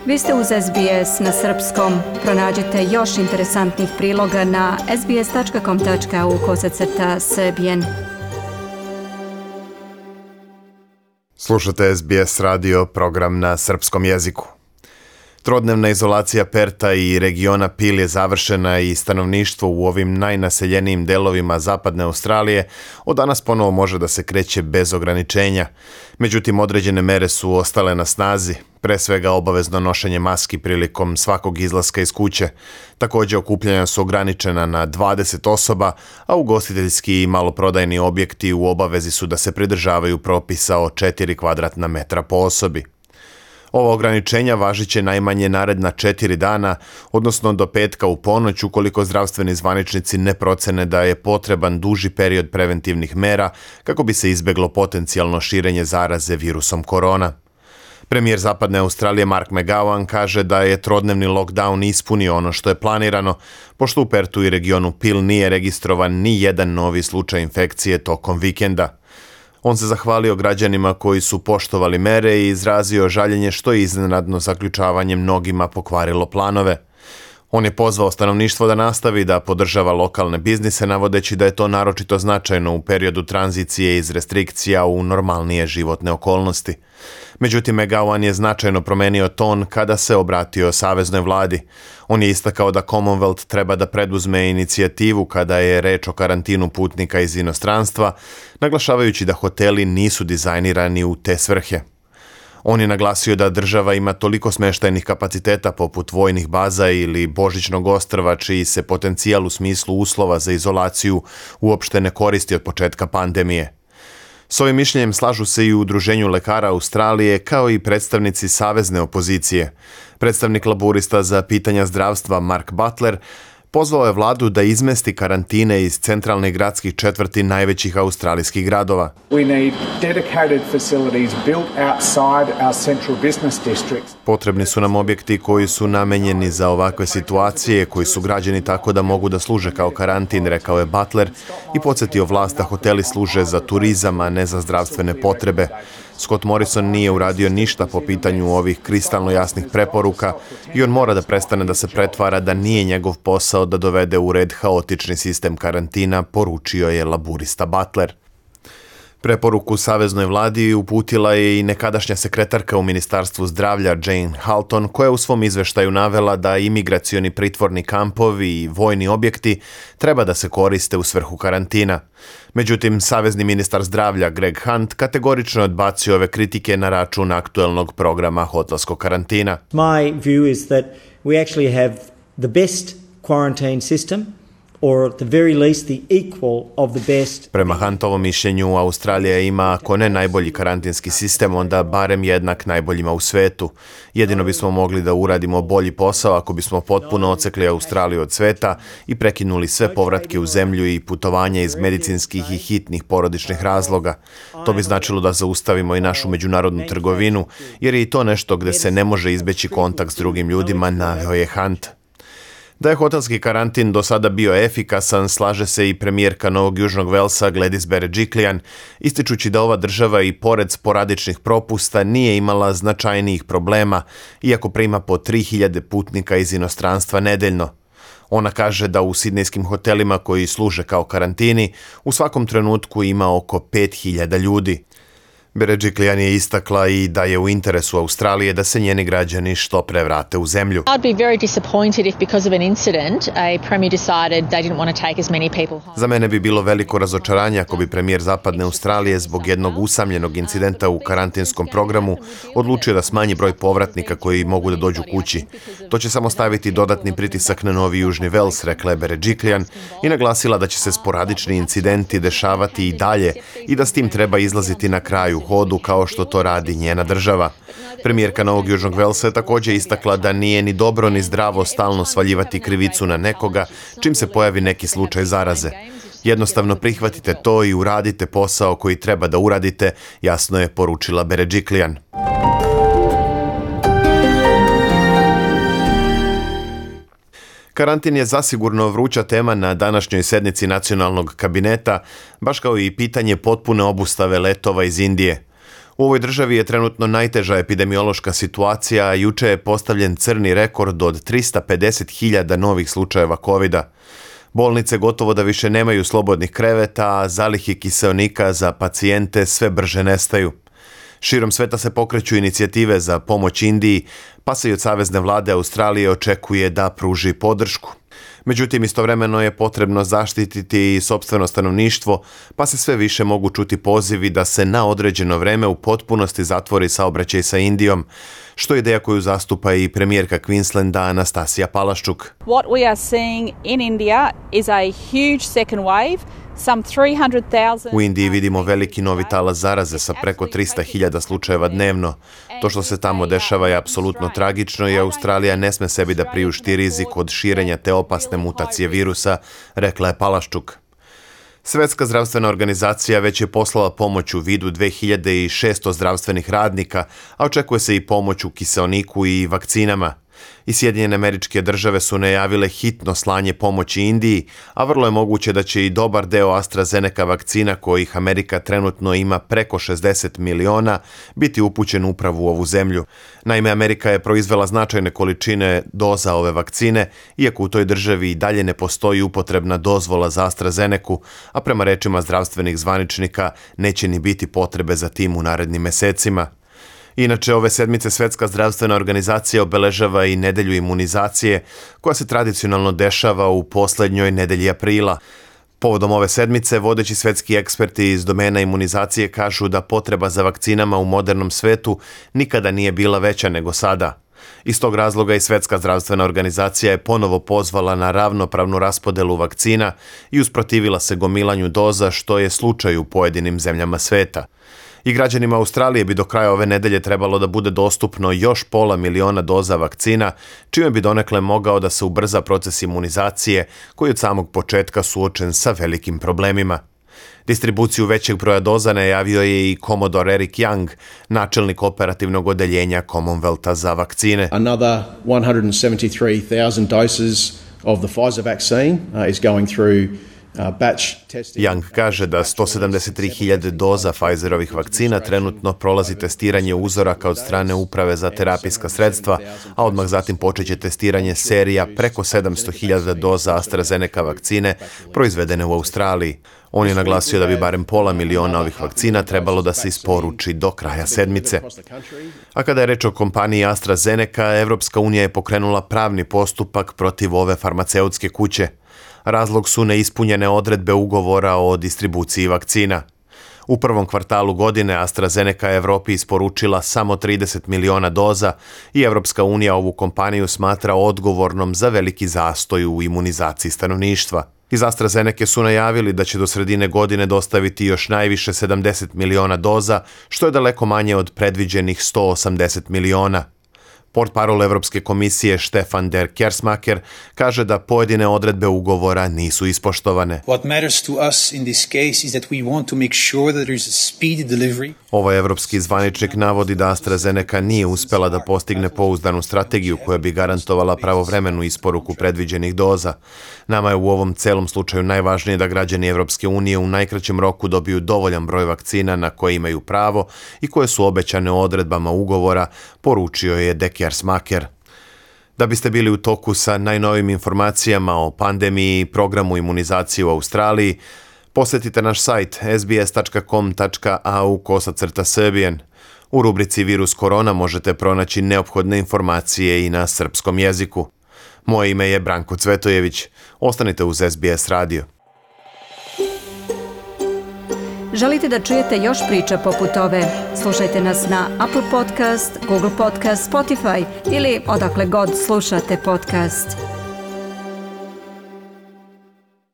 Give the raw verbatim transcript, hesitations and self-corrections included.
Vi ste uz S B S na srpskom. Pronađite još interesantnih priloga na sbs.com.au kosacrta srbijen. Slušate S B S radio, program na srpskom jeziku. Trodnevna izolacija Perta i regiona Peel je završena i stanovništvo u ovim najnaseljenijim delovima zapadne Australije od danas ponovo može da se kreće bez ograničenja. Međutim, određene mere su ostale na snazi, pre svega obavezno nošenje maski prilikom svakog izlaska iz kuće. Također okupljanja su ograničena na dvadeset osoba, a ugostiteljski i maloprodajni objekti u obavezi su da se pridržavaju propisa o četiri kvadratna metra po osobi. Ova ograničenja važit će najmanje naredna četiri dana, odnosno do petka u ponoć, ukoliko zdravstveni zvaničnici ne procene da je potreban duži period preventivnih mera kako bi se izbeglo potencijalno širenje zaraze virusom korona. Premijer Zapadne Australije Mark McGowan kaže da je trodnevni lockdown ispunio ono što je planirano, pošto u Pertu i regionu Peel nije registrovan ni jedan novi slučaj infekcije tokom vikenda. On se zahvalio građanima koji su poštovali mere i izrazio žaljenje što je iznenadno zaključavanje mnogima pokvarilo planove. On je pozvao stanovništvo da nastavi da podržava lokalne biznise, navodeći da je to naročito značajno u periodu tranzicije iz restrikcija u normalnije životne okolnosti. Međutim, McGowan je značajno promenio ton kada se obratio saveznoj vladi. On je istakao da Commonwealth treba da preduzme inicijativu kada je reč o karantinu putnika iz inostranstva, naglašavajući da hoteli nisu dizajnirani u te svrhe. On je naglasio da država ima toliko smeštajnih kapaciteta poput vojnih baza ili Božićnog ostrva, čiji se potencijal u smislu uslova za izolaciju uopšte ne koristi od početka pandemije. S ovim mišljenjem slažu se i u Udruženju lekara Australije, kao i predstavnici savezne opozicije. Predstavnik laburista za pitanja zdravstva Mark Butler pozvao je vladu da izmesti karantine iz centralnih gradskih četvrti najvećih australijskih gradova. We need dedicated facilities built outside our central business districts. Potrebni su nam objekti koji su namenjeni za ovakve situacije, koji su građeni tako da mogu da služe kao karantin, rekao je Butler i podsjetio vlast da hoteli služe za turizam, a ne za zdravstvene potrebe. Scott Morrison nije uradio ništa po pitanju ovih kristalno jasnih preporuka i on mora da prestane da se pretvara da nije njegov posao da dovede u red haotični sistem karantina, poručio je laburista Butler. Preporuku saveznoj vladi uputila je i nekadašnja sekretarka u Ministarstvu zdravlja Jane Halton, koja je u svom izveštaju navela da imigracioni pritvorni kampovi i vojni objekti treba da se koriste u svrhu karantina. Međutim, savezni ministar zdravlja Greg Hunt kategorično odbacio ove kritike na račun aktuelnog programa hotelskog karantina. My view is that we actually have the best quarantine system, or at the very least the equal of the best. Prema Huntovom mišljenju, Australija ima, ako ne najbolji karantinski sistem, onda barem jednak najboljima u svetu. Jedino bismo mogli da uradimo bolji posao ako bismo potpuno odsekli Australiju od sveta i prekinuli sve povratke u zemlju i putovanja iz medicinskih i hitnih porodičnih razloga. To bi značilo da zaustavimo i našu međunarodnu trgovinu, jer je i to nešto gde se ne može izbeći kontakt s drugim ljudima, naveo je Hunt. Da je hotelski karantin do sada bio efikasan, slaže se i premijerka Novog Južnog Velsa Gladys Berejiklian, ističući da ova država i pored sporadičnih propusta nije imala značajnijih problema, iako prima po tri hiljade putnika iz inostranstva nedeljno. Ona kaže da u sidnejskim hotelima koji služe kao karantini u svakom trenutku ima oko pet hiljada ljudi. Berejiklian je istakla i da je u interesu Australije da se njeni građani što pre vrate u zemlju. I'd be very disappointed if because of an incident a premier decided they didn't want to take as many people home. Za mene bi bilo veliko razočaranje ako bi premijer Zapadne Australije zbog jednog usamljenog incidenta u karantinskom programu odlučio da smanji broj povratnika koji mogu da dođu kući. To će samo staviti dodatni pritisak na Novi Južni Vels, rekla je Berejiklian i naglasila da će se sporadični incidenti dešavati i dalje i da s tim treba izlaziti na kraju hodu kao što to radi njena država. Premijerka Novog Južnog Velsa je također istakla da nije ni dobro ni zdravo stalno svaljivati krivicu na nekoga čim se pojavi neki slučaj zaraze. Jednostavno prihvatite to i uradite posao koji treba da uradite, jasno je poručila Berejiklian. Karantin je zasigurno vruća tema na današnjoj sednici nacionalnog kabineta, baš kao i pitanje potpune obustave letova iz Indije. U ovoj državi je trenutno najteža epidemiološka situacija, a juče je postavljen crni rekord od trista pedeset hiljada novih slučajeva kovida. Bolnice gotovo da više nemaju slobodnih kreveta, a zalihe kiseonika za pacijente sve brže nestaju. Širom sveta se pokreću inicijative za pomoć Indiji, pa se i od Savezne vlade Australije očekuje da pruži podršku. Međutim, istovremeno je potrebno zaštititi i sopstveno stanovništvo, pa se sve više mogu čuti pozivi da se na određeno vreme u potpunosti zatvori saobraćaj sa Indijom, što je ideja koju zastupa i premijerka Queenslanda Anastasija Palaščuk. What we are seeing in India is a huge second wave. U Indiji vidimo veliki novi talas zaraze sa preko trista hiljada slučajeva dnevno. To što se tamo dešava je apsolutno tragično i Australija ne sme sebi da priušti rizik od širenja te opasne mutacije virusa, rekla je Palaščuk. Svetska zdravstvena organizacija već je poslala pomoć u vidu dve hiljade šesto zdravstvenih radnika, a očekuje se i pomoć u kiseoniku i vakcinama. I Sjedinjene Američke Države su najavile hitno slanje pomoći Indiji, a vrlo je moguće da će i dobar deo AstraZeneca vakcina, kojih Amerika trenutno ima preko šezdeset miliona, biti upućen upravo u ovu zemlju. Naime, Amerika je proizvela značajne količine doza ove vakcine, iako u toj državi i dalje ne postoji upotrebna dozvola za AstraZenecu, a prema rečima zdravstvenih zvaničnika neće ni biti potrebe za tim u narednim mesecima. Inače, ove sedmice Svetska zdravstvena organizacija obeležava i nedelju imunizacije, koja se tradicionalno dešava u poslednjoj nedelji aprila. Povodom ove sedmice, vodeći svetski eksperti iz domena imunizacije kažu da potreba za vakcinama u modernom svetu nikada nije bila veća nego sada. Iz tog razloga i Svetska zdravstvena organizacija je ponovo pozvala na ravnopravnu raspodelu vakcina i usprotivila se gomilanju doza, što je slučaj u pojedinim zemljama sveta. I građanima Australije bi do kraja ove nedelje trebalo da bude dostupno još pola miliona doza vakcina, čime bi donekle mogao da se ubrza proces imunizacije, koji od samog početka suočen sa velikim problemima. Distribuciju većeg broja doza najavio je i Commodore Eric Young, načelnik operativnog odeljenja Commonwealtha za vakcine. Another one hundred seventy-three thousand doses of the Pfizer vaccine uh, is going through Young kaže da sto sedamdeset tri hiljade doza Pfizerovih vakcina trenutno prolazi testiranje uzoraka od strane Uprave za terapijska sredstva, a odmah zatim počeće testiranje serija preko sedamsto hiljada doza AstraZeneca vakcine proizvedene u Australiji. On je naglasio da bi barem pola miliona ovih vakcina trebalo da se isporuči do kraja sedmice. A kada je reč o kompaniji AstraZeneca, Evropska unija je pokrenula pravni postupak protiv ove farmaceutske kuće. Razlog su neispunjene odredbe ugovora o distribuciji vakcina. U prvom kvartalu godine AstraZeneca je Evropi isporučila samo trideset miliona doza i Evropska unija ovu kompaniju smatra odgovornom za veliki zastoj u imunizaciji stanovništva. Iz AstraZeneca su najavili da će do sredine godine dostaviti još najviše sedamdeset miliona doza, što je daleko manje od predviđenih sto osamdeset miliona. Portparol Evropske komisije Stefan der Kersmaker kaže da pojedine odredbe ugovora nisu ispoštovane. What matters to us in this case is that we want to make sure that there is a speedy delivery. Ovaj evropski zvaničnik navodi da AstraZeneca nije uspela da postigne pouzdanu strategiju koja bi garantovala pravovremenu isporuku predviđenih doza. Nama je u ovom celom slučaju najvažnije da građani Evropske unije u najkraćem roku dobiju dovoljan broj vakcina na koje imaju pravo i koje su obećane odredbama ugovora, poručio je de Kersmaker. Da biste bili u toku sa najnovim informacijama o pandemiji i programu imunizacije u Australiji, posjetite naš sajt s b s tačka com tačka a u kosacrta srbijen. U rubrici Virus korona možete pronaći neophodne informacije i na srpskom jeziku. Moje ime je Branko Cvetojević. Ostanite uz S B S radio. Želite da čujete još priča poput ove? Slušajte nas na Apple Podcast, Google Podcast, Spotify ili odakle god slušate podcast.